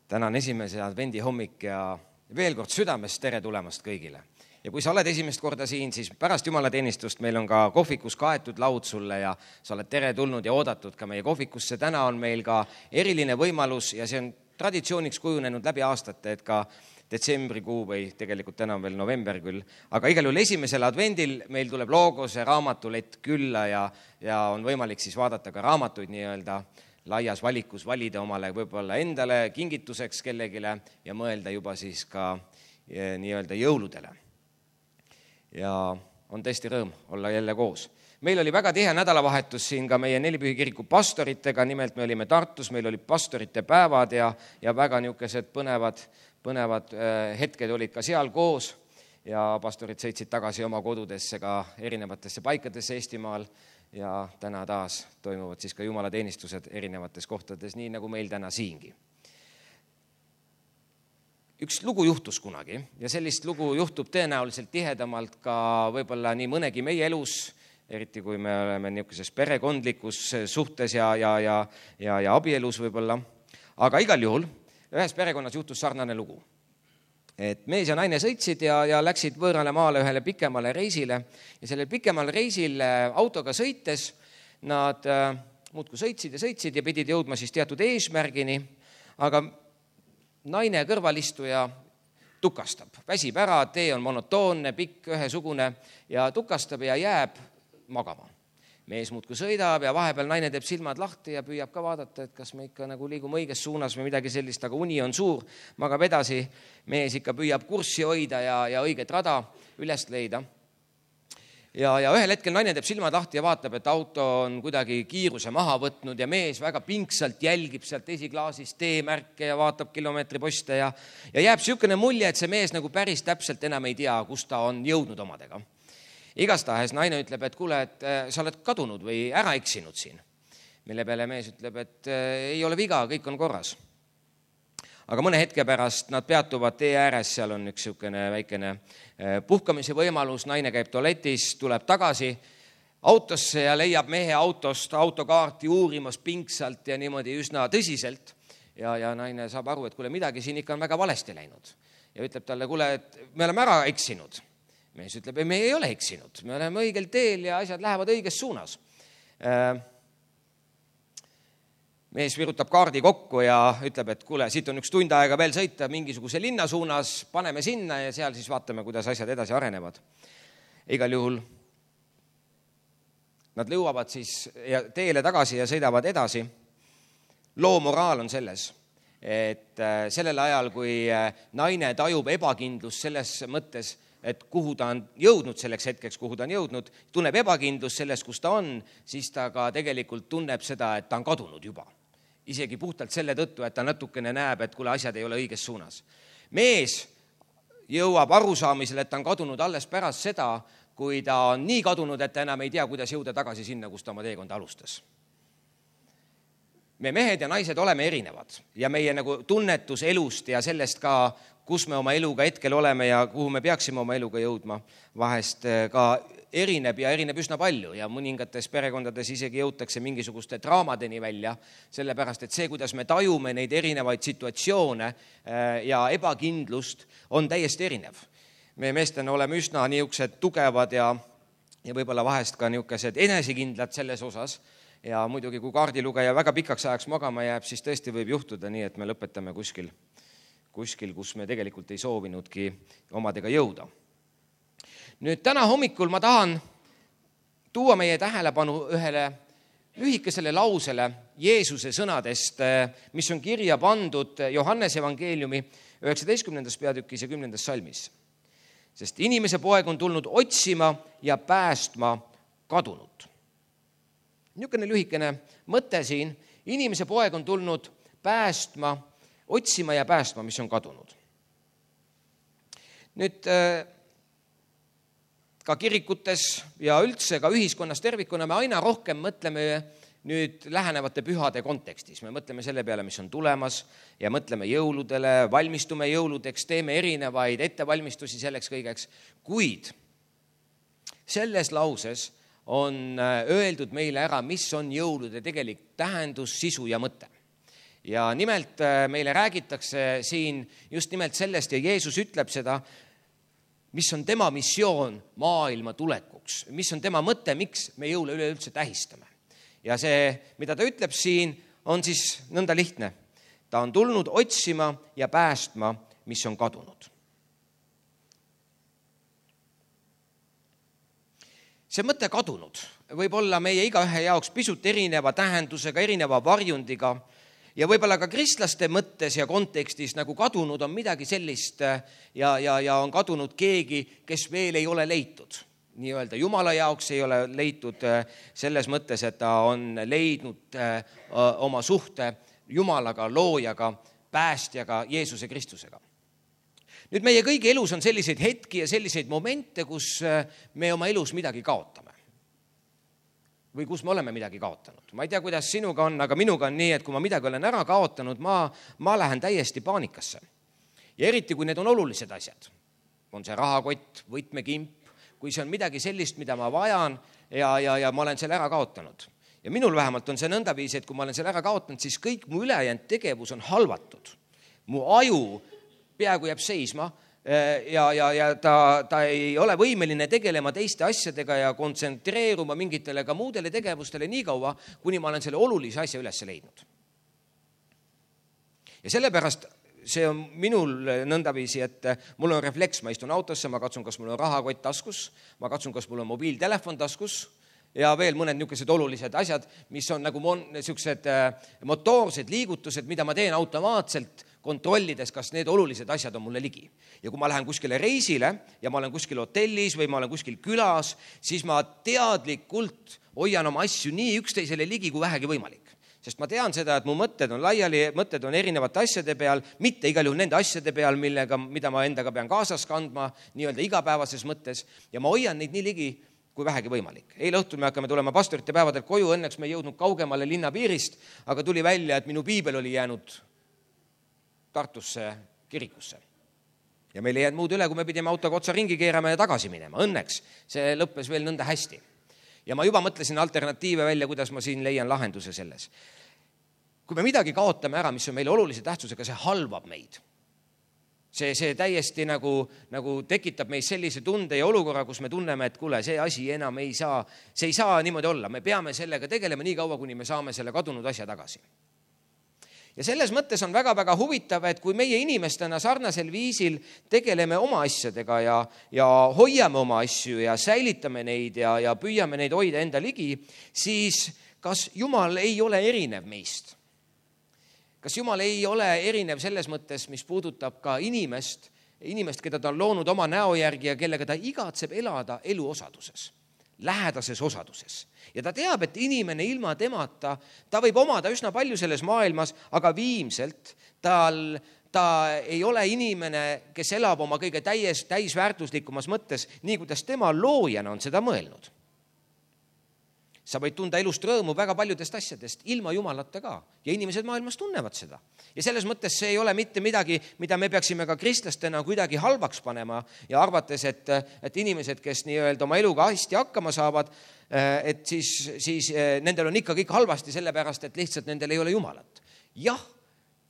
Täna on esimese advendi hommik ja veel kord südamest tere tulemast kõigile. Ja kui sa oled esimest korda siin, siis pärast jumalateenistust meil on ka kohvikus kaetud laud sulle ja sa oled tere tulnud ja oodatud ka meie kohvikusse. Täna on meil ka eriline võimalus ja see on traditsiooniks kujunenud läbi aastate, et ka detsembrikuu või tegelikult täna on veel november küll, aga igal juhul esimesel advendil meil tuleb Logose raamatulett külla ja on võimalik siis vaadata ka raamatuid nii-öelda laias valikus, valida omale võib-olla endale kingituseks kellegile ja mõelda juba siis ka nii-öelda jõuludele. Ja on tõesti rõõm olla jälle koos. Meil oli väga tihe nädalavahetus siin ka meie Nelipühi kiriku pastoritega, nimelt me olime Tartus, meil oli pastorite päevad ja väga niisugused põnevad hetked olid ka seal koos ja pastorid sõitsid tagasi oma kodudesse ka erinevatesse paikadesse Eestimaal ja täna taas toimuvad siis ka jumalateenistused erinevates kohtades, nii nagu meil täna siingi. Üks lugu juhtus kunagi ja sellist lugu juhtub tõenäoliselt tihedamalt ka võib-olla nii mõnegi meie elus, eriti kui me oleme niisuguses perekondlikus suhtes ja abielus võib-olla. Aga igal juhul ühes perekonnas juhtus sarnane lugu. Et mees ja naine sõitsid ja läksid võõrale maale ühele pikemale reisile ja sellel pikemal reisil autoga sõites nad muudkui sõitsid ja pidid jõudma siis teatud eesmärgini, aga naine kõrvalistuja tukastab, väsib ära, tee on monotoonne, pikk, ühesugune ja tukastab ja jääb magama. Mees muudkui sõidab ja vahepeal naine teeb silmad lahti ja püüab ka vaadata, et kas me ikka nagu liigume õiges suunas või midagi sellist, aga uni on suur, magab edasi. Mees ikka püüab kurssi hoida ja õiget rada üles leida. Ja ühel hetkel naine teeb silmad lahti ja vaatab, et auto on kuidagi kiiruse maha võtnud ja mees väga pingsalt jälgib sealt esiklaasist teemärke ja vaatab kilomeetriposte ja jääb niisugune mulje, et see mees nagu päris täpselt enam ei tea, kus ta on jõudnud omadega. Igastahes naine ütleb, et kuule, et sa oled kadunud või ära eksinud siin. Mille peale mees ütleb, et ei ole viga, kõik on korras. Aga mõne hetke pärast nad peatuvad tee ääres, seal on üks niisugune väikene puhkamise võimalus, naine käib tualetis, tuleb tagasi autosse ja leiab mehe autost autokaarti uurimas pingsalt ja niimoodi üsna tõsiselt. Ja naine saab aru, et kuule, midagi siin ikka on väga valesti läinud. Ja ütleb talle, kuule, et me oleme ära eksinud. Mees ütleb, et me ei ole eksinud, me oleme õigel teel ja asjad lähevad õiges suunas. Mees virutab kaardi kokku ja ütleb, et kuule, siit on üks tund aega veel sõita mingisuguse linna suunas, paneme sinna ja seal siis vaatame, kuidas asjad edasi arenevad. Igal juhul nad lõuavad siis teele tagasi ja sõidavad edasi. Loo moraal on selles, et sellel ajal, kui naine tajub ebakindlust selles mõttes, et kuhu ta on jõudnud selleks hetkeks, kuhu ta on jõudnud, tunneb ebakindlust selles, kus ta on, siis ta ka tegelikult tunneb seda, et ta on kadunud juba. Isegi puhtalt selle tõttu, et ta natukene näeb, et kuule, asjad ei ole õiges suunas. Mees jõuab arusaamisele, et ta on kadunud alles pärast seda, kui ta on nii kadunud, et ta enam ei tea, kuidas jõuda tagasi sinna, kus ta oma teekonda alustas. Me mehed ja naised oleme erinevad ja meie nagu tunnetus elust ja sellest ka, kus me oma eluga hetkel oleme ja kuhu me peaksime oma eluga jõudma, vahest ka erineb ja erineb üsna palju ja mõningates perekondades isegi jõutakse mingisuguste draamadeni välja, sellepärast et see, kuidas me tajume neid erinevaid situatsioone ja ebakindlust, on täiesti erinev. Me meestena oleme üsna niisugused tugevad ja võib-olla vahest ka niisugused enesekindlad selles osas ja muidugi, kui kaardilugeja väga pikaks ajaks magama jääb, siis tõesti võib juhtuda nii, et me lõpetame kuskil, kus me tegelikult ei soovinudki omadega jõuda. Nüüd täna hommikul ma tahan tuua meie tähelepanu ühele lühikesele lausele Jeesuse sõnadest, mis on kirja pandud Johannese evangeeliumi 19. peatükis ja 10. salmis. Sest inimese poeg on tulnud otsima ja päästma kadunut. Niisugune lühikene mõte siin, inimese poeg on tulnud otsima ja päästma, mis on kadunud. Nüüd ka kirikutes ja üldse ka ühiskonnas tervikuna me aina rohkem mõtleme nüüd lähenevate pühade kontekstis. Me mõtleme selle peale, mis on tulemas ja mõtleme jõuludele, valmistume jõuludeks, teeme erinevaid ettevalmistusi selleks kõigeks, kuid selles lauses on öeldud meile ära, mis on jõulude tegelik tähendus, sisu ja mõte. Ja nimelt meile räägitakse siin just nimelt sellest ja Jeesus ütleb seda, mis on tema missioon maailma tulekuks, mis on tema mõte, miks me jõule üleüldse tähistame. Ja see, mida ta ütleb siin, on siis nõnda lihtne. Ta on tulnud otsima ja päästma, mis on kadunud. See mõte kadunud võib olla meie igaühe jaoks pisut erineva tähendusega, erineva varjundiga ja võib-olla ka kristlaste mõttes ja kontekstis nagu kadunud on midagi sellist ja on kadunud keegi, kes veel ei ole leitud. Nii-öelda Jumala jaoks ei ole leitud selles mõttes, et ta on leidnud oma suhte Jumalaga, loojaga, päästjaga, Jeesuse Kristusega. Nüüd meie kõigi elus on selliseid hetki ja selliseid momente, kus me oma elus midagi kaotame. Või kus me oleme midagi kaotanud. Ma ei tea, kuidas sinuga on, aga minuga on nii, et kui ma midagi olen ära kaotanud, ma lähen täiesti paanikasse. Ja eriti, kui need on olulised asjad. On see rahakott, võtmekimp, kui see on midagi sellist, mida ma vajan ja ma olen selle ära kaotanud. Ja minul vähemalt on see nõndaviisi, et kui ma olen selle ära kaotanud, siis kõik mu ülejäänud tegevus on halvatud. Mu aju peaaegu jääb seisma ja ta ei ole võimeline tegelema teiste asjadega ja kontsentreeruma mingitele ka muudele tegevustele nii kaua, kuni ma olen selle olulise asja üles leidnud. Ja sellepärast see on minul nõndaviisi, et mul on refleks, ma istun autosse, ma katsun, kas mul on rahakott taskus, ma katsun, kas mul on mobiiltelefon taskus ja veel mõned niisugused olulised asjad, mis on nagu niisugused motoorsed liigutused, mida ma teen automaatselt, kontrollides, kas need olulised asjad on mulle ligi. Ja kui ma lähen kuskile reisile ja ma olen kuskil hotellis või ma olen kuskil külas, siis ma teadlikult hoian oma asju nii üksteisele ligi kui vähegi võimalik. Sest ma tean seda, et mu mõtted on laiali, mõtted on erinevate asjade peal, mitte igal juhul nende asjade peal, mida ma endaga pean kaasas kandma, nii-öelda igapäevases mõttes, ja ma hoian neid nii ligi kui vähegi võimalik. Eile õhtul me hakkame tulema pastorite päevadel koju, õnneks me ei jõudnud kaugemale linna piirist, aga tuli välja, et minu piibel oli jäänud Tartusse kirikusse. Ja meil ei jäänud muud üle, kui me pidime autoga otsa ringi keerama ja tagasi minema. Õnneks see lõppes veel nõnda hästi. Ja ma juba mõtlesin alternatiive välja, kuidas ma siin leian lahenduse selles. Kui me midagi kaotame ära, mis on meile olulise tähtsusega, see halvab meid. See täiesti nagu tekitab meis sellise tunde ja olukorra, kus me tunneme, et kuule, see asi enam ei saa niimoodi olla. Me peame sellega tegelema nii kaua, kuni me saame selle kadunud asja tagasi. Ja selles mõttes on väga-väga huvitav, et kui meie inimestena sarnasel viisil tegeleme oma asjadega ja hoiame oma asju ja säilitame neid ja püüame neid hoida enda ligi, siis kas Jumal ei ole erinev meist? Kas Jumal ei ole erinev selles mõttes, mis puudutab ka inimest, keda ta on loonud oma näo järgi ja kellega ta igatseb elada elu osaduses, lähedases osaduses. Ja ta teab, et inimene ilma temata, ta võib omada üsna palju selles maailmas, aga viimselt ta ei ole inimene, kes elab oma kõige täisväärtuslikumas mõttes, nii kuidas tema loojana on seda mõelnud. Sa võid tunda elust rõõmu väga paljudest asjadest, ilma Jumalata ka. Ja inimesed maailmas tunnevad seda. Ja selles mõttes see ei ole mitte midagi, mida me peaksime ka kristlastena kuidagi halvaks panema ja arvates, et inimesed, kes nii-öelda oma eluga hästi hakkama saavad, et siis nendel on ikka kõik halvasti sellepärast, et lihtsalt nendel ei ole Jumalat. Jah,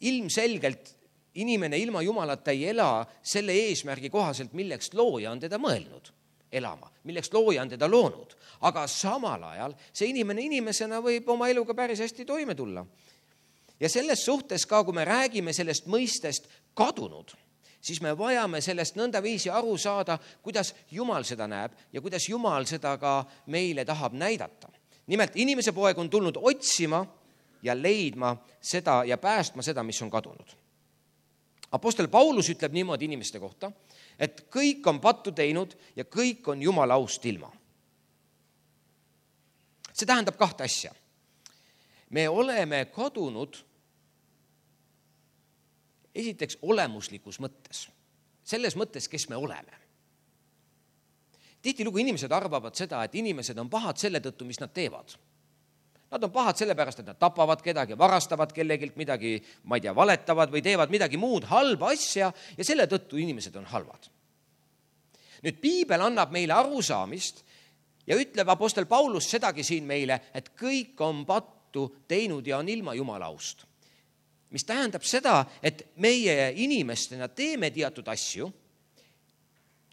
ilmselgelt inimene ilma Jumalata ei ela selle eesmärgi kohaselt, milleks looja on teda mõelnud elama, milleks looja on teda loonud. Aga samal ajal see inimesena võib oma eluga päris hästi toime tulla. Ja selles suhtes ka, kui me räägime sellest mõistest kadunud, siis me vajame sellest nõndaviisi aru saada, kuidas Jumal seda näeb ja kuidas Jumal seda ka meile tahab näidata. Nimelt, inimese poeg on tulnud otsima ja leidma seda ja päästma seda, mis on kadunud. Apostel Paulus ütleb niimoodi inimeste kohta, et kõik on pattu teinud ja kõik on Jumala aust ilma. See tähendab kahte asja. Me oleme kadunud esiteks olemuslikus mõttes. Selles mõttes, kes me oleme. Tihtilugu inimesed arvavad seda, et inimesed on pahad selle tõttu, mis nad teevad. Nad on pahad sellepärast, et nad tapavad kedagi, varastavad kellegilt midagi, ma ei tea, valetavad või teevad midagi muud halba asja ja selle tõttu inimesed on halvad. Nüüd piibel annab meile arusaamist ja ütleb apostel Paulus sedagi siin meile, et kõik on pattu teinud ja on ilma Jumala aust. mis tähendab seda, et meie inimestena teeme teatud asju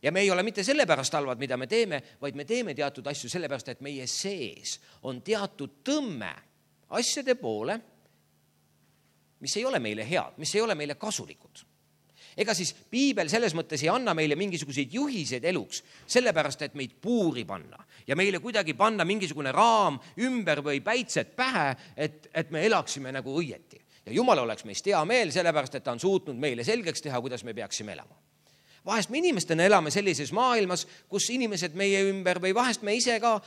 ja me ei ole mitte sellepärast halvad, mida me teeme, vaid me teeme teatud asju sellepärast, et meie sees on teatud tõmme asjade poole, mis ei ole meile head, mis ei ole meile kasulikud. Ega siis piibel selles mõttes ei anna meile mingisuguseid juhiseid eluks, sellepärast, et meid puuri panna ja meile kuidagi panna mingisugune raam ümber või päitsed pähe, et me elaksime nagu õieti. Ja Jumal oleks meist hea meel, sellepärast, et ta on suutnud meile selgeks teha, kuidas me peaksime elama. Vahest me inimestena elame sellises maailmas, kus inimesed meie ümber või vahest me ise ka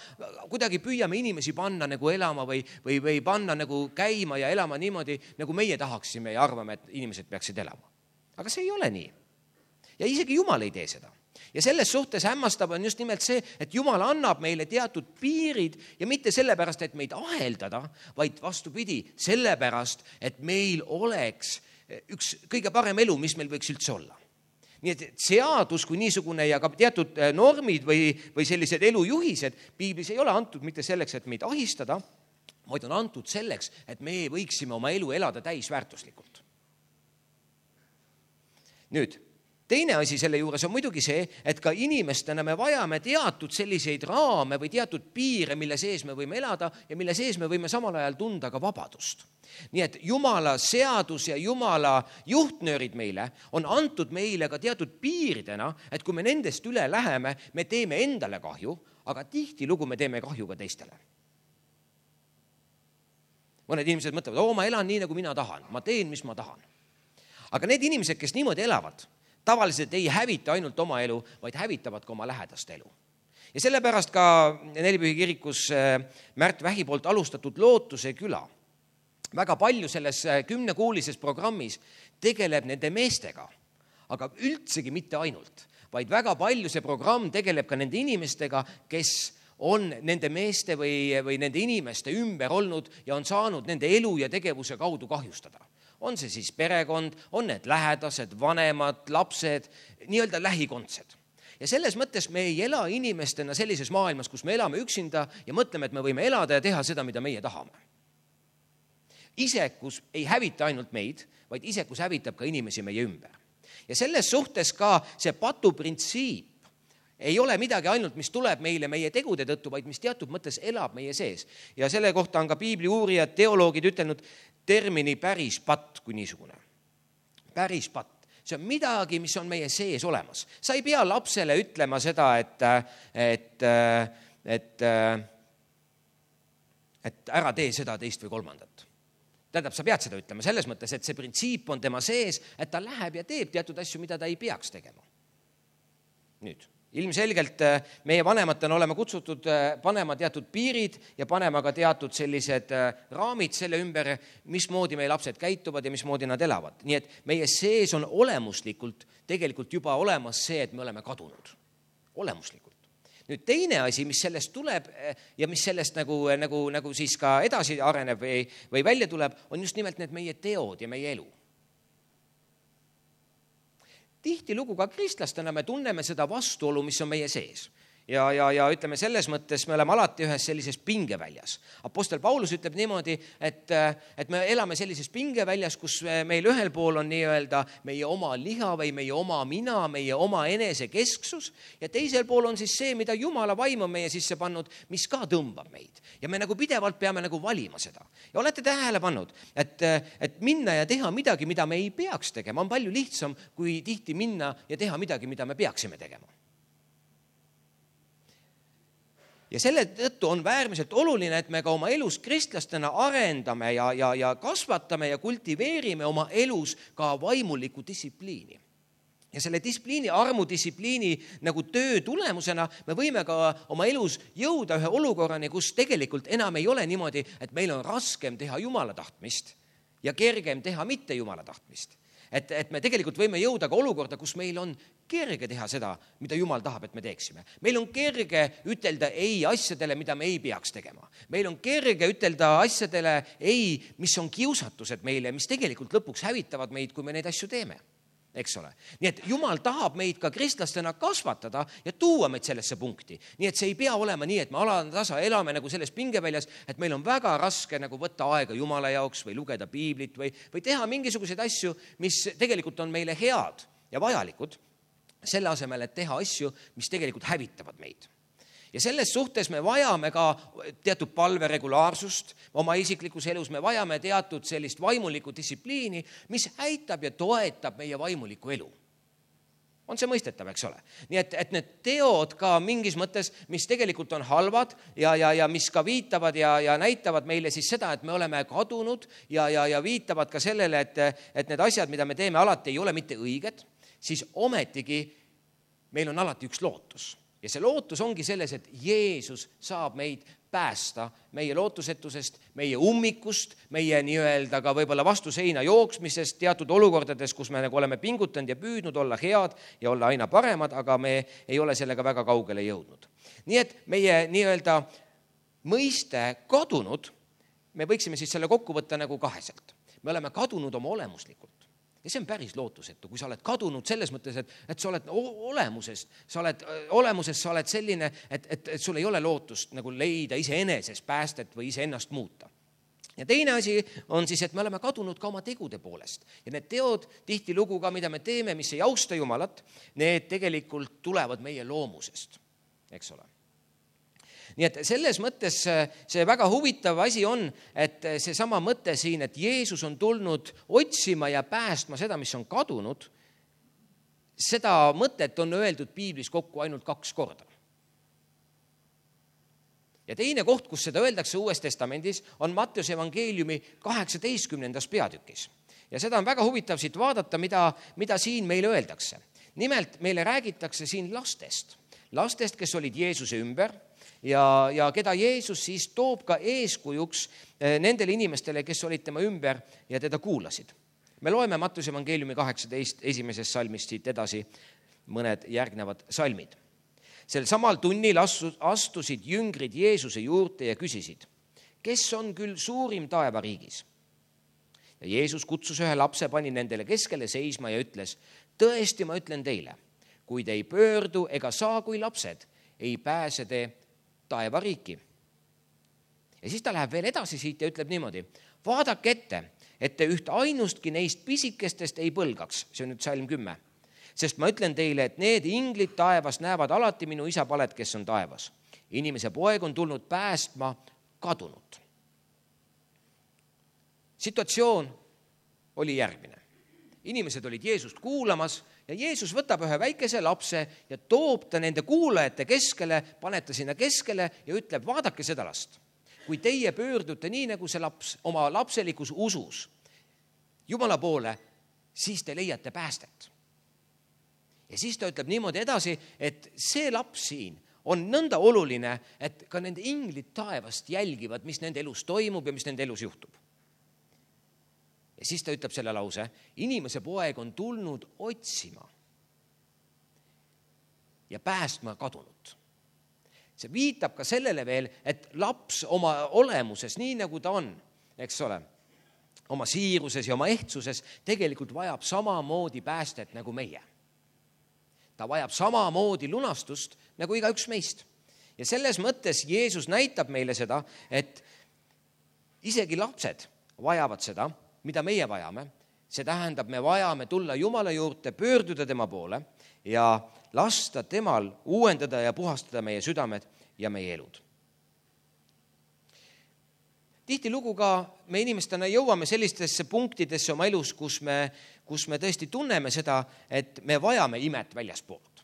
kuidagi püüame inimesi panna nagu elama või panna nagu käima ja elama niimoodi, nagu meie tahaksime ja arvame, et inimesed peaksid elama. Aga see ei ole nii. Ja isegi Jumal ei tee seda. Ja selles suhtes hämmastav on just nimelt see, et Jumal annab meile teatud piirid ja mitte sellepärast, et meid aheldada, vaid vastupidi, sellepärast, et meil oleks üks kõige parem elu, mis meil võiks üldse olla. Nii et seadus kui niisugune ja ka teatud normid või sellised elujuhised piiblis ei ole antud mitte selleks, et meid ahistada, vaid on antud selleks, et me võiksime oma elu elada täisväärtuslikult. Nüüd, teine asi selle juures on muidugi see, et ka inimestena me vajame teatud selliseid raame või teatud piire, mille sees me võime elada ja mille sees me võime samal ajal tunda ka vabadust. Nii et Jumala seadus ja Jumala juhtnöörid meile on antud meile ka teatud piiridena, et kui me nendest üle läheme, me teeme endale kahju, aga tihtilugu me teeme kahju ka teistele. Mõned inimesed mõtlevad, ma elan nii, nagu mina tahan, ma teen, mis ma tahan. Aga need inimesed, kes niimoodi elavad, tavaliselt ei hävita ainult oma elu, vaid hävitavad ka oma lähedaste elu. Ja sellepärast ka Nelipühi kirikus Märt Vähi poolt alustatud Lootuse küla väga palju selles 10-kuulises programmis tegeleb nende meestega, aga üldsegi mitte ainult, vaid väga palju see programm tegeleb ka nende inimestega, kes on nende meeste või nende inimeste ümber olnud ja on saanud nende elu ja tegevuse kaudu kahjustada. On see siis perekond, on need lähedased, vanemad, lapsed, nii-öelda lähikondsed. Ja selles mõttes me ei ela inimestena sellises maailmas, kus me elame üksinda ja mõtleme, et me võime elada ja teha seda, mida meie tahame. Isekus ei hävita ainult meid, vaid isekus hävitab ka inimesi meie ümber. Ja selles suhtes ka see patuprintsiip ei ole midagi ainult, mis tuleb meile meie tegude tõttu, vaid mis teatud mõttes elab meie sees. Ja selle kohta on ka piibli uurijad, teoloogid ütelnud termini päris patt kui niisugune. Päris patt. See on midagi, mis on meie sees olemas. Sa ei pea lapsele ütlema seda, et ära tee seda, teist või kolmandat. Tähendab, sa pead seda ütlema selles mõttes, et see printsiip on tema sees, et ta läheb ja teeb teatud asju, mida ta ei peaks tegema. Nüüd. Ilmselgelt meie vanematena oleme kutsutud panema teatud piirid ja panema ka teatud sellised raamid selle ümber, mismoodi meie lapsed käituvad ja mismoodi nad elavad. Nii et meie sees on olemuslikult tegelikult juba olemas see, et me oleme kadunud. Olemuslikult. Nüüd teine asi, mis sellest tuleb ja mis sellest nagu siis ka edasi areneb või välja tuleb, on just nimelt need meie teod ja meie elu. Tihtilugu ka kristlastena me tunneme seda vastuolu, mis on meie sees. Ja ütleme, selles mõttes me oleme alati ühes sellises pingeväljas. Apostel Paulus ütleb niimoodi, et me elame sellises pingeväljas, kus meil ühel pool on nii-öelda meie oma liha või meie oma mina, meie oma enesekesksus ja teisel pool on siis see, mida Jumala vaim on meie sisse pannud, mis ka tõmbab meid. Ja me nagu pidevalt peame nagu valima seda. Ja olete tähele pannud, et minna ja teha midagi, mida me ei peaks tegema, on palju lihtsam, kui tihti minna ja teha midagi, mida me peaksime tegema. Ja selle tõttu on äärmiselt oluline, et me ka oma elus kristlastena arendame ja kasvatame ja kultiveerime oma elus ka vaimuliku distsipliini. Ja selle distsipliini, armudistsipliini nagu töö tulemusena me võime ka oma elus jõuda ühe olukorrani, kus tegelikult enam ei ole niimoodi, et meil on raskem teha Jumala tahtmist ja kergem teha mitte Jumala tahtmist. Et me tegelikult võime jõuda ka olukorda, kus meil on kerge teha seda, mida Jumal tahab, et me teeksime. Meil on kerge ütelda ei asjadele, mida me ei peaks tegema. Meil on kerge ütelda asjadele ei, mis on kiusatused meile, mis tegelikult lõpuks hävitavad meid, kui me neid asju teeme. eks ole. Nii et Jumal tahab meid ka kristlastena kasvatada ja tuua meid sellesse punkti. Nii et see ei pea olema nii, et me alatasa elame nagu selles pingeväljas, et meil on väga raske nagu võtta aega Jumala jaoks või lugeda piiblit või teha mingisuguseid asju, mis tegelikult on meile head ja vajalikud, selle asemel, et teha asju, mis tegelikult hävitavad meid. Ja selles suhtes me vajame ka teatud palve regulaarsust oma isiklikus elus, me vajame teatud sellist vaimulikku distsipliini, mis aitab ja toetab meie vaimulikku elu. On see mõistetav, eks ole? Nii et need teod ka mingis mõttes, mis tegelikult on halvad ja mis ka viitavad ja näitavad meile siis seda, et me oleme kadunud ja viitavad ka sellele, et need asjad, mida me teeme alati ei ole mitte õiged, siis ometigi meil on alati üks lootus. Ja see lootus ongi selles, et Jeesus saab meid päästa meie lootusetusest, meie ummikust, meie nii-öelda ka võib-olla vastu seina jooksmisest teatud olukordades, kus me nagu oleme pingutanud ja püüdnud olla head ja olla aina paremad, aga me ei ole sellega väga kaugele jõudnud. Nii et meie nii-öelda mõiste kadunud, me võiksime siis selle kokku võtta nagu kaheselt. Me oleme kadunud oma olemuslikult. Ja see on päris lootusetu, kui sa oled kadunud selles mõttes, et sa oled olemusest, sa oled selline, et sul ei ole lootust nagu leida iseeneses päästet või iseennast muuta. Ja teine asi on siis, et me oleme kadunud ka oma tegude poolest. Ja need teod tihtilugu ka, mida me teeme, mis ei austa Jumalat, need tegelikult tulevad meie loomusest, eks ole. Nii et selles mõttes see väga huvitav asi on, et see sama mõte siin, et Jeesus on tulnud otsima ja päästma seda, mis on kadunud, seda mõtet on öeldud piiblis kokku ainult 2 korda. Ja teine koht, kus seda öeldakse Uues Testamendis, on Matteuse evangeeliumi 18. peatükis. Ja seda on väga huvitav siit vaadata, mida siin meile öeldakse. Nimelt meile räägitakse siin lastest, kes olid Jeesuse ümber, ja keda Jeesus siis toob ka eeskujuks nendele inimestele, kes olid tema ümber ja teda kuulasid. Me loeme Matteuse evangeeliumi 18 esimesest salmist siit edasi mõned järgnevad salmid. Sel samal tunnil astusid jüngrid Jeesuse juurde ja küsisid, kes on küll suurim taevariigis? Ja Jeesus kutsus ühe lapse, pani nendele keskele seisma ja ütles, tõesti ma ütlen teile, kui te ei pöördu ega saa kui lapsed, ei pääse te taevariiki. Ja siis ta läheb veel edasi siit ja ütleb niimoodi, vaadake ette, et te üht ainustki neist pisikestest ei põlgaks, see on nüüd salm 10, sest ma ütlen teile, et need inglid taevas näevad alati minu isa palet, kes on taevas. Inimese poeg on tulnud päästma kadunut. Situatsioon oli järgmine. Inimesed olid Jeesust kuulamas ja Jeesus võtab ühe väikese lapse ja toob ta nende kuulajate keskele, paneb ta sinna keskele ja ütleb, vaadake seda last. Kui teie pöördute nii nagu see laps oma lapselikus usus Jumala poole, siis te leiate päästet. Ja siis ta ütleb niimoodi edasi, et see laps siin on nõnda oluline, et ka nende inglid taevast jälgivad, mis nende elus toimub ja mis nende elus juhtub. Ja siis ta ütleb selle lause, inimese poeg on tulnud otsima ja päästma kadunut. See viitab ka sellele veel, et laps oma olemuses, nii nagu ta on, eks ole, oma siiruses ja oma ehtsuses, tegelikult vajab samamoodi päästet nagu meie. Ta vajab samamoodi lunastust nagu igaüks meist. Ja selles mõttes Jeesus näitab meile seda, et isegi lapsed vajavad seda, mida meie vajame. See tähendab, me vajame tulla Jumala juurde, pöörduda tema poole ja lasta temal uuendada ja puhastada meie südamed ja meie elud. Tihtilugu ka me inimestena jõuame sellistesse punktidesse oma elus, kus me tõesti tunneme seda, et me vajame imet väljaspoolt.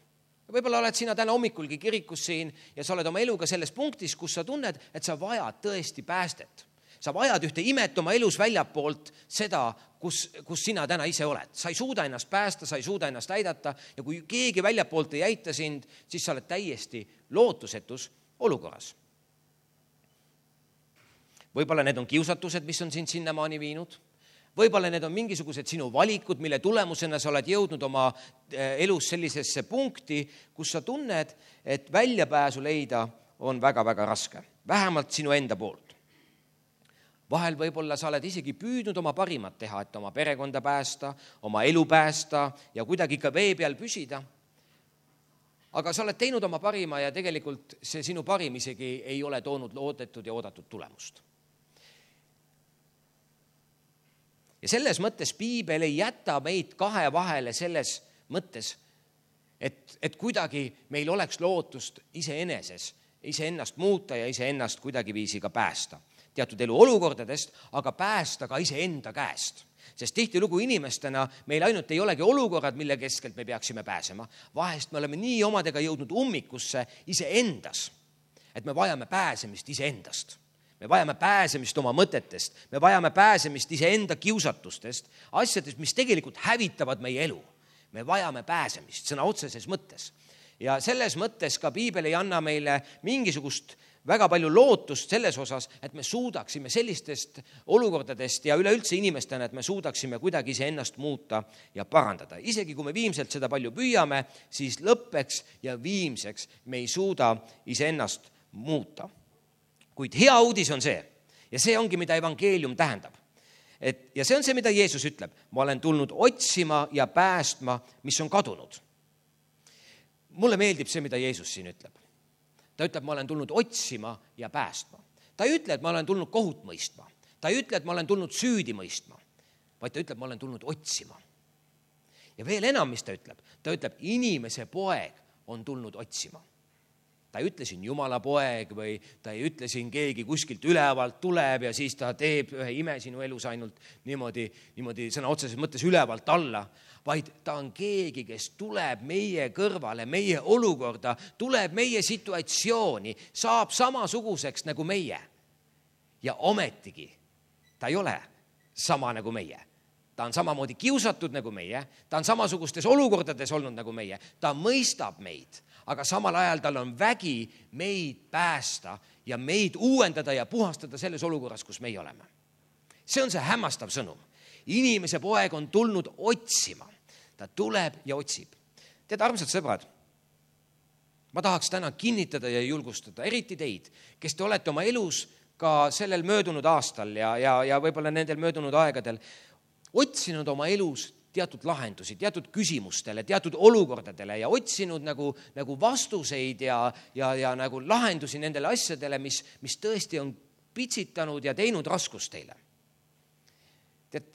Võib-olla oled sina täna hommikulgi kirikus siin ja sa oled oma eluga selles punktis, kus sa tunned, et sa vajad tõesti päästet. Sa vajad ühte imet oma elus väljapoolt seda, kus sina täna ise oled. Sa ei suuda ennast päästa, sa ei suuda ennast aidata ja kui keegi väljapoolt ei aita sind, siis sa oled täiesti lootusetus olukorras. Võib-olla need on kiusatused, mis on sind sinnamaani viinud. Võib-olla need on mingisugused sinu valikud, mille tulemusena sa oled jõudnud oma elus sellisesse punkti, kus sa tunned, et väljapääsu leida on väga-väga raske. Vähemalt sinu enda poolt. vahel võib-olla sa oled isegi püüdnud oma parimat teha, et oma perekonda päästa, oma elu päästa ja kuidagi ikka vee peal püsida. Aga sa oled teinud oma parima ja tegelikult see sinu parim isegi ei ole toonud loodetud ja oodatud tulemust. Ja selles mõttes piibel ei jäta meid kahe vahele selles mõttes, et kuidagi meil oleks lootust iseennast muuta ja iseennast kuidagiviisi ka päästa. Teatud elu olukordadest, aga päästa ka iseenda käest. Sest tihtilugu inimestena meil ainult ei olegi olukorrad, mille keskelt me peaksime pääsema. Vahest me oleme nii omadega jõudnud ummikusse iseendas, et me vajame pääsemist iseendast. Me vajame pääsemist oma mõtetest, me vajame pääsemist iseenda kiusatustest, asjadest, mis tegelikult hävitavad meie elu. Me vajame pääsemist sõna otseses mõttes. Ja selles mõttes ka piibel ei anna meile mingisugust väga palju lootust selles osas, et me suudaksime sellistest olukordadest ja üleüldse inimestena, et me suudaksime kuidagi iseennast muuta ja parandada. Isegi kui me viimselt seda palju püüame, siis lõppeks ja viimseks me ei suuda iseennast muuta. Kuid hea uudis on see, ja see ongi, mida evangeelium tähendab. Ja see on see, mida Jeesus ütleb. Ma olen tulnud otsima ja päästma, mis on kadunud. Mulle meeldib see, mida Jeesus siin ütleb. Ta ütleb, ma olen tulnud otsima ja päästma. Ta ei ütle, et ma olen tulnud kohut mõistma. Ta ei ütle, et ma olen tulnud süüdi mõistma, vaid ta ütleb, ma olen tulnud otsima. Ja veel enam, mis ta ütleb? Ta ütleb, inimese poeg on tulnud otsima. Ta ei ütle siin Jumala poeg või ta ei ütle siin keegi kuskilt ülevalt tuleb ja siis ta teeb ühe ime sinu elus ainult niimoodi sõna otseses mõttes ülevalt alla, vaid ta on keegi, kes tuleb meie kõrvale, meie olukorda, tuleb meie situatsiooni, saab samasuguseks nagu meie. Ja ometigi ta ei ole sama nagu meie. Ta on samamoodi kiusatud nagu meie, ta on samasugustes olukordades olnud nagu meie, ta mõistab meid, aga samal ajal tal on vägi meid päästa ja meid uuendada ja puhastada selles olukorras, kus meie oleme. See on see hämmastav sõnum. Inimese poeg on tulnud otsima. Ta tuleb ja otsib. Tead, armsad sõbrad, ma tahaks täna kinnitada ja julgustada, eriti teid, kes te olete oma elus ka sellel möödunud aastal ja võib-olla nendel möödunud aegadel otsinud oma elus teatud lahendusi, teatud küsimustele, teatud olukordadele ja otsinud nagu vastuseid ja nagu lahendusi nendele asjadele, mis tõesti on pitsitanud ja teinud raskust teile. Tead,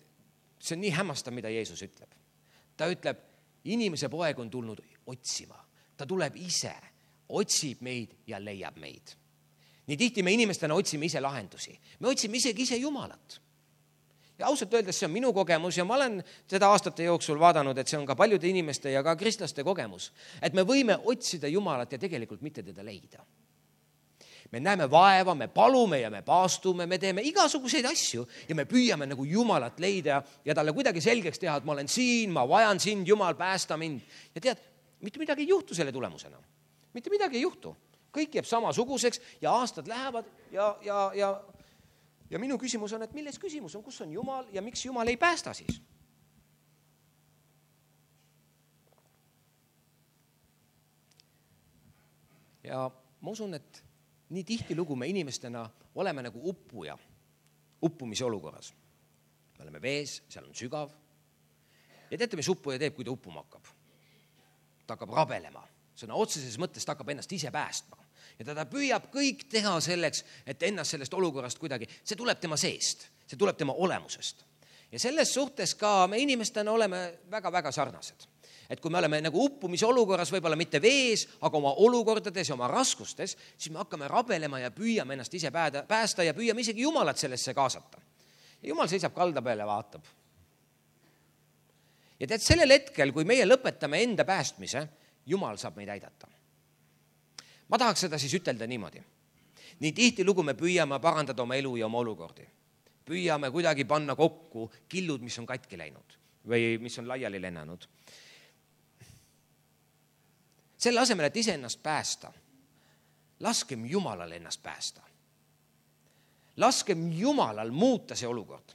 see on nii hämmastav, mida Jeesus ütleb. Ta ütleb, inimese poeg on tulnud otsima. Ta tuleb ise, otsib meid ja leiab meid. Nii tihti me inimestena otsime ise lahendusi. Me otsime isegi ise Jumalat. Ja ausalt öeldes see on minu kogemus ja ma olen seda aastate jooksul vaadanud, et see on ka paljude inimeste ja ka kristlaste kogemus, et me võime otsida Jumalat ja tegelikult mitte teda leida. Me näeme vaeva, me palume ja me paastume, me teeme igasuguseid asju ja me püüame nagu Jumalat leida ja talle kuidagi selgeks teha, et ma olen siin, ma vajan sind, Jumal, päästa mind. Ja tead, mitte midagi ei juhtu selle tulemusena. Mitte midagi ei juhtu. Kõik jääb samasuguseks ja aastad lähevad ja minu küsimus on, et milles küsimus on, kus on Jumal ja miks Jumal ei päästa siis? Ja ma usun, et nii tihtilugu me inimestena oleme nagu uppumise olukorras. Me oleme vees, seal on sügav. Ja teate, mis uppuja teeb, kui ta uppuma hakkab? Ta hakkab rabelema. Sõna otseses mõttes ta hakkab ennast ise päästma. Ja ta püüab kõik teha selleks, et ennast sellest olukorrast kuidagi, see tuleb tema seest, see tuleb tema olemusest. Ja selles suhtes ka me inimestena oleme väga-väga sarnased. Et kui me oleme nagu uppumise olukorras, võib-olla mitte vees, aga oma olukordades ja oma raskustes, siis me hakkame rabelema ja püüame ennast ise päästa ja püüame isegi Jumalat sellesse kaasata. Ja Jumal seisab kalda peale ja vaatab. Ja tead, sellel hetkel, kui meie lõpetame enda päästmise, Jumal saab meid aidata. Ma tahaks seda siis ütelda niimoodi. Nii tihtilugu me püüame parandada oma elu ja oma olukordi. Püüame kuidagi panna kokku killud, mis on katki läinud või mis on laiali lennanud. Selle asemel, et ise ennast päästa, laskem Jumalal ennast päästa. Laskem Jumalal muuta see olukord.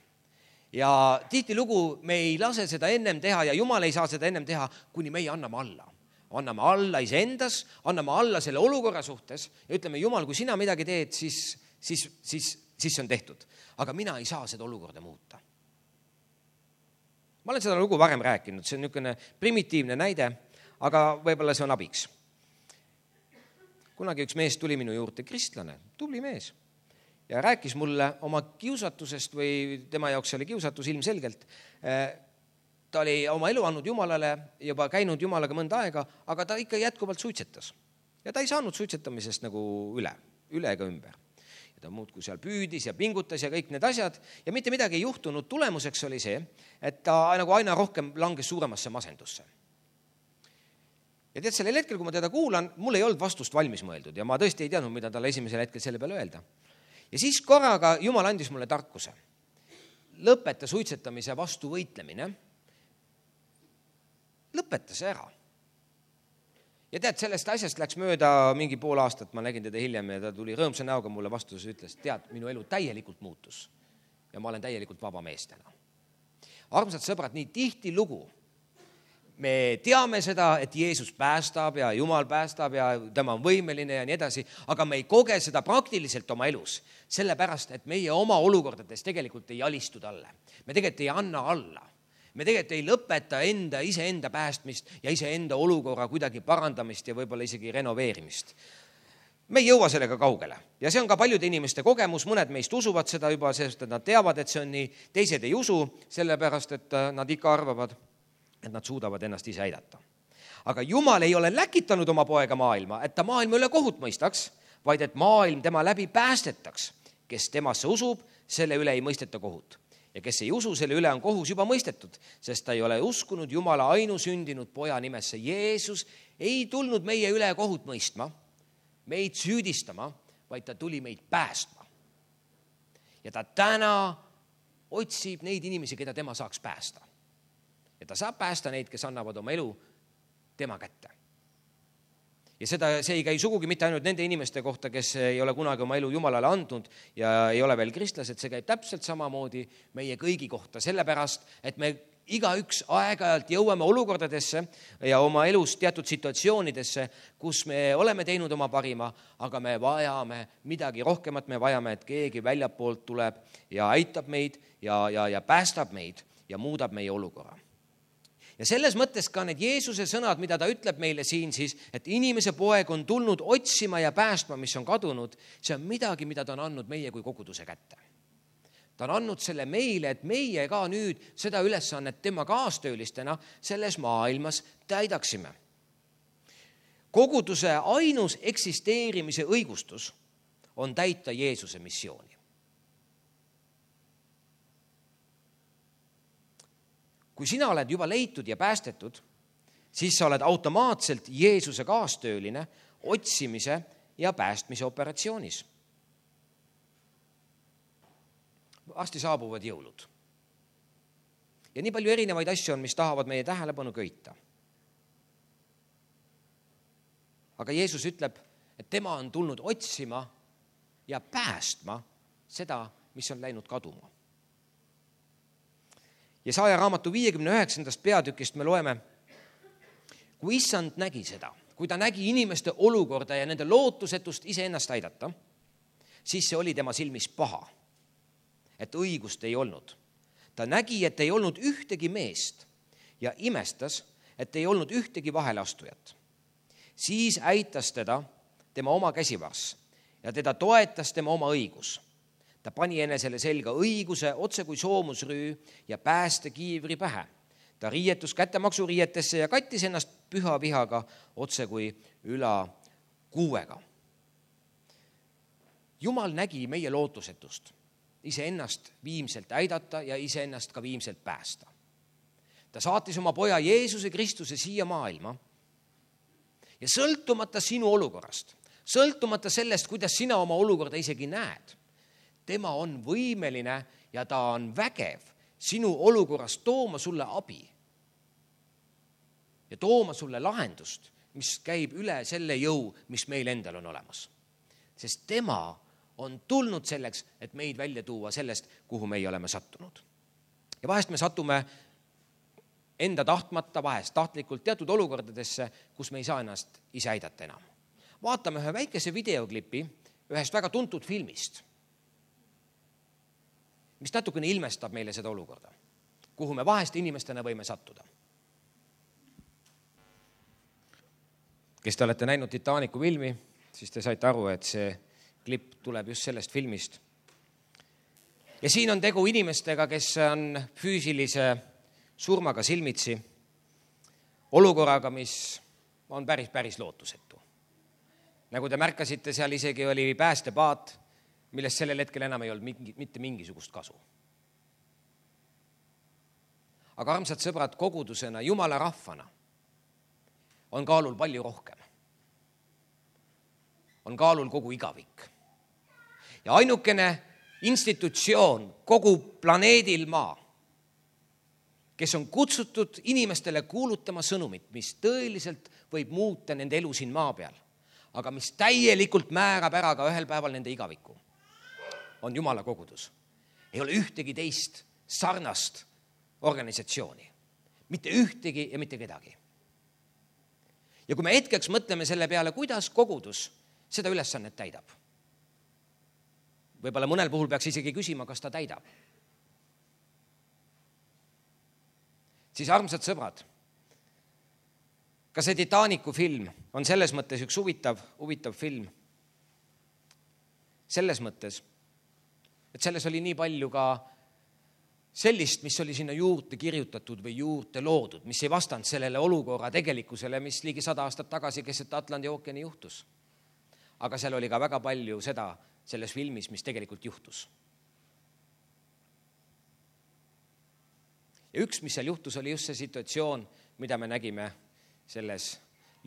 Ja tihtilugu me ei lase seda ennem teha ja Jumal ei saa seda ennem teha, kuni meie anname alla. Anname alla iseendas, anname alla selle olukorra suhtes ja ütleme, Jumal, kui sina midagi teed, siis siis see on tehtud. Aga mina ei saa seda olukorda muuta. Ma olen seda lugu varem rääkinud, see on niisugune primitiivne näide, aga võib-olla see on abiks. Kunagi üks mees tuli minu juurde, kristlane, tubli mees, ja rääkis mulle oma kiusatusest või tema jaoks oli kiusatus ilmselgelt. Ta oli oma elu andnud Jumalale, juba käinud Jumalaga mõnda aega, aga ta ikka jätkuvalt suitsetas. Ja ta ei saanud suitsetamisest nagu üle ega ümber. Ja ta muudkui seal püüdis ja pingutas ja kõik need asjad ja mitte midagi ei juhtunud. Tulemuseks oli see, et ta nagu aina rohkem langes suuremasse masendusse. Ja tead, sellel hetkel, kui ma teda kuulan, mul ei olnud vastust valmis mõeldud ja ma tõesti ei teadnud, mida talle esimesel hetkel selle peale öelda. Ja siis korraga Jumal andis mulle tarkuse. Lõpeta suitsetamise vastu võitlemine. Lõpeta see ära. Ja tead, sellest asjast läks mööda mingi pool aastat, ma nägin teda hiljem ja ta tuli rõõmsa näoga mulle vastus ja ütles, tead, minu elu täielikult muutus ja ma olen täielikult vaba meestena. Armsad sõbrad, nii tihti lugu. Me teame seda, et Jeesus päästab ja Jumal päästab ja tema on võimeline ja nii edasi, aga me ei koge seda praktiliselt oma elus, sellepärast, et meie oma olukordades tegelikult ei alistu talle. Me tegelikult ei anna alla. Me tegelikult ei lõpeta iseenda päästmist ja iseenda olukorra kuidagi parandamist ja võib-olla isegi renoveerimist. Me ei jõua sellega kaugele ja see on ka paljude inimeste kogemus, mõned meist usuvad seda juba, sest nad teavad, et see on nii, teised ei usu, sellepärast et nad ikka arvavad, et nad suudavad ennast ise aidata. Aga Jumal ei ole läkitanud oma poega maailma, et ta maailma üle kohut mõistaks, vaid et maailm tema läbi päästetaks. Kes temasse usub, selle üle ei mõisteta kohut. Ja kes ei usu, selle üle on kohus juba mõistetud, sest ta ei ole uskunud Jumala ainusündinud poja nimesse. Jeesus ei tulnud meie üle kohut mõistma, meid süüdistama, vaid ta tuli meid päästma. Ja ta täna otsib neid inimesi, keda tema saaks päästa. Ja ta saab päästa neid, kes annavad oma elu tema kätte. Ja see ei käi sugugi mitte ainult nende inimeste kohta, kes ei ole kunagi oma elu Jumalale andnud ja ei ole veel kristlased, see käib täpselt samamoodi meie kõigi kohta, sellepärast, et me igaüks aeg-ajalt jõuame olukordadesse ja oma elus teatud situatsioonidesse, kus me oleme teinud oma parima, aga me vajame midagi rohkemat, me vajame, et keegi väljapoolt tuleb ja aitab meid ja päästab meid ja muudab meie olukorra. Ja selles mõttes ka need Jeesuse sõnad, mida ta ütleb meile siin siis, et inimese poeg on tulnud otsima ja päästma, mis on kadunud, see on midagi, mida ta on andnud meie kui koguduse kätte. Ta on andnud selle meile, et meie ka nüüd seda ülesannet tema kaastöölistena selles maailmas täidaksime. Koguduse ainus eksisteerimise õigustus on täita Jeesuse missiooni. Kui sina oled juba leitud ja päästetud, siis sa oled automaatselt Jeesuse kaastööline otsimise ja päästmise operatsioonis. Varsti saabuvad jõulud. Ja nii palju erinevaid asju on, mis tahavad meie tähelepanu köita. Aga Jeesus ütleb, et tema on tulnud otsima ja päästma seda, mis on läinud kaduma. Jesaja raamatu 59. peatükist me loeme, kui Issand nägi seda, kui ta nägi inimeste olukorda ja nende lootusetust iseennast aidata, siis see oli tema silmis paha, et õigust ei olnud. Ta nägi, et ei olnud ühtegi meest ja imestas, et ei olnud ühtegi vaheleastujat. Siis äitas teda tema oma käsivarss ja teda toetas tema oma õigus. Ta pani enesele selga õiguse otse kui soomusrüü ja pääste kiivri pähe. Ta riietus kättemaksuriietesse ja kattis ennast püha vihaga otse kui ülakuuega. Jumal nägi meie lootusetust iseennast viimselt aidata ja iseennast ka viimselt päästa. Ta saatis oma poja Jeesuse Kristuse siia maailma ja sõltumata sinu olukorrast, sõltumata sellest, kuidas sina oma olukorda isegi näed, tema on võimeline ja ta on vägev sinu olukorras tooma sulle abi ja tooma sulle lahendust, mis käib üle selle jõu, mis meil endal on olemas. Sest tema on tulnud selleks, et meid välja tuua sellest, kuhu meie oleme sattunud. Ja vahest me satume enda tahtmata, vahest tahtlikult teatud olukordadesse, kus me ei saa ennast ise aidata enam. Vaatame ühe väikese videoklipi ühest väga tuntud filmist. mis natukene ilmestab meile seda olukorda, kuhu me vahest inimestena võime sattuda. Kes te olete näinud Titanicu filmi, siis te saite aru, et see klipp tuleb just sellest filmist. Ja siin on tegu inimestega, kes on füüsilise surmaga silmitsi, olukorraga, mis on päris lootusetu. Nagu te märkasite, seal isegi oli päästepaat, millest sellel hetkel enam ei olnud mitte mingisugust kasu. Aga armsad sõbrad, kogudusena, Jumala rahvana on kaalul palju rohkem. On kaalul kogu igavik. Ja ainukene institutsioon kogu planeedil Maa, kes on kutsutud inimestele kuulutama sõnumit, mis tõeliselt võib muuta nende elu siin maa peal, aga mis täielikult määrab ära ka ühel päeval nende igaviku, on Jumala kogudus. Ei ole ühtegi teist sarnast organisatsiooni. Mitte ühtegi ja mitte kedagi. Ja kui me hetkeks mõtleme selle peale, kuidas kogudus seda ülesannet täidab, võib-olla mõnel puhul peaks isegi küsima, kas ta täidab. Siis armsad sõbrad, ka see Titanicu film on selles mõttes üks huvitav film. Selles mõttes, et selles oli nii palju ka sellist, mis oli sinna juurde kirjutatud või juurde loodud, mis ei vastanud sellele olukorra tegelikkusele, mis ligi 100 aastat tagasi keset Atlandi ookeani juhtus. Aga seal oli ka väga palju seda selles filmis, mis tegelikult juhtus. Ja üks, mis seal juhtus, oli just see situatsioon, mida me nägime selles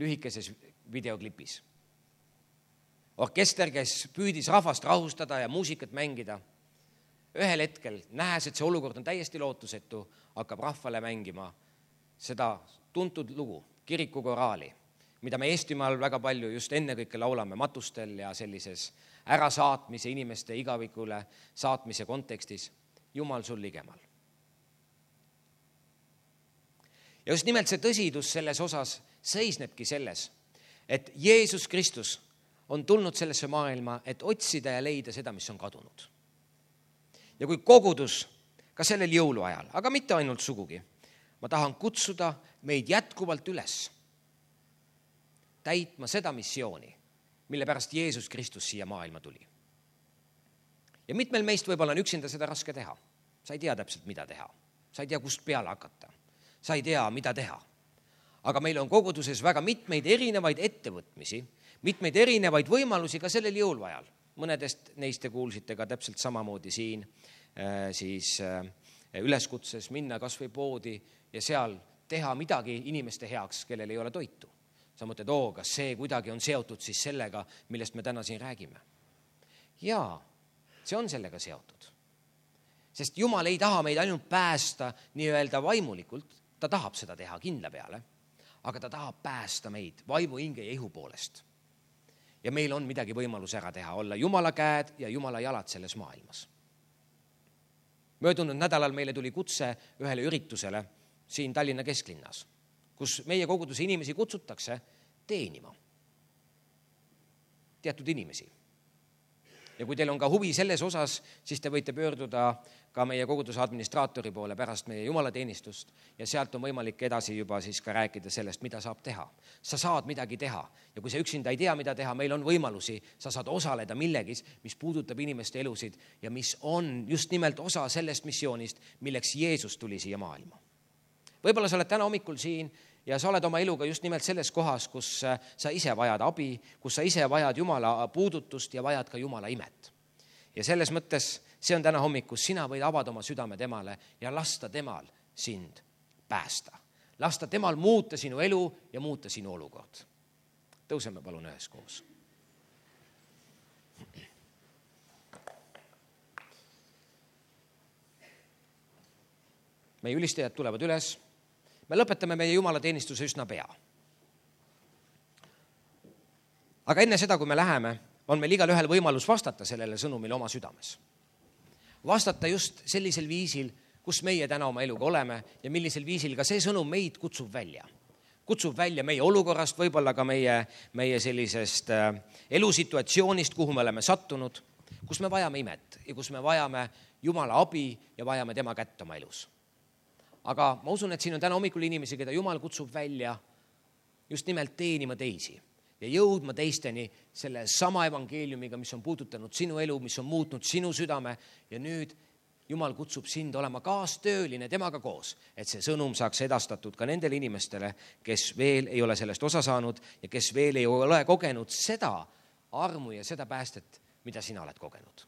lühikeses videoklipis. Orkester, kes püüdis rahvast rahustada ja muusikat mängida, ühel hetkel, nähes, et see olukord on täiesti lootusetu, hakkab rahvale mängima seda tuntud lugu, kirikukoraali, mida me Eestimaal väga palju just ennekõike laulame matustel ja sellises ärasaatmise inimeste igavikule saatmise kontekstis. Jumal sul ligemal. Ja just nimelt see tõsidus selles osas seisnebki selles, et Jeesus Kristus on tulnud sellesse maailma, et otsida ja leida seda, mis on kadunud. Ja kui kogudus ka sellel jõuluajal, aga mitte ainult sugugi, ma tahan kutsuda meid jätkuvalt üles täitma seda missiooni, mille pärast Jeesus Kristus siia maailma tuli. Ja mitmel meist võib-olla on üksinda seda raske teha. Sa ei tea täpselt, mida teha. Sa ei tea, kust peale hakata. Sa ei tea, mida teha. Aga meil on koguduses väga mitmeid erinevaid ettevõtmisi, mitmeid erinevaid võimalusi ka sellel jõuluajal. Mõnedest neist te kuulsite ka täpselt samamoodi siin siis üleskutses minna kas või poodi ja seal teha midagi inimeste heaks, kellel ei ole toitu. Sa mõtled, kas see kuidagi on seotud siis sellega, millest me täna siin räägime. Jaa, see on sellega seotud. Sest Jumal ei taha meid ainult päästa nii-öelda vaimulikult, ta tahab seda teha kindla peale, aga ta tahab päästa meid vaimu, hinge ja ihu poolest. Ja meil on midagi võimalus ära teha, olla Jumala käed ja Jumala jalad selles maailmas. Möödunud nädalal meile tuli kutse ühele üritusele siin Tallinna kesklinnas, kus meie koguduse inimesi kutsutakse teenima. Teatud inimesi. Ja kui teil on ka huvi selles osas, siis te võite pöörduda ka meie koguduse administraatori poole pärast meie jumalateenistust ja sealt on võimalik edasi juba siis ka rääkida sellest, mida saab teha. Sa saad midagi teha ja kui sa üksinda ei tea, mida teha, meil on võimalusi, sa saad osaleda millegis, mis puudutab inimeste elusid ja mis on just nimelt osa sellest missioonist, milleks Jeesus tuli siia maailma. Võib-olla sa oled täna hommikul siin ja sa oled oma eluga just nimelt selles kohas, kus sa ise vajad abi, kus sa ise vajad Jumala puudutust ja vajad ka Jumala imet. Ja selles mõttes see on täna hommikus, sina võid avada oma südame temale ja lasta temal sind päästa. Lasta temal muuta sinu elu ja muuta sinu olukord. Tõuseme palun üheskoos. Meie ülistajad tulevad üles. Me lõpetame meie jumalateenistuse üsna pea. Aga enne seda, kui me läheme, on meil igal ühel võimalus vastata sellele sõnumile oma südames. Vastata just sellisel viisil, kus meie täna oma eluga oleme ja millisel viisil ka see sõnum meid kutsub välja. Kutsub välja meie olukorrast, võib-olla ka meie sellisest elusituatsioonist, kuhu me oleme sattunud, kus me vajame imet ja kus me vajame Jumala abi ja vajame tema kätt oma elus. Aga ma usun, et siin on täna hommikul inimesi, keda Jumal kutsub välja just nimelt teenima teisi ja jõudma teisteni selle sama evangeeliumiga, mis on puudutanud sinu elu, mis on muutnud sinu südame ja nüüd Jumal kutsub sind olema kaastööline temaga koos, et see sõnum saaks edastatud ka nendele inimestele, kes veel ei ole sellest osa saanud ja kes veel ei ole kogenud seda armu ja seda päästet, mida sina oled kogenud.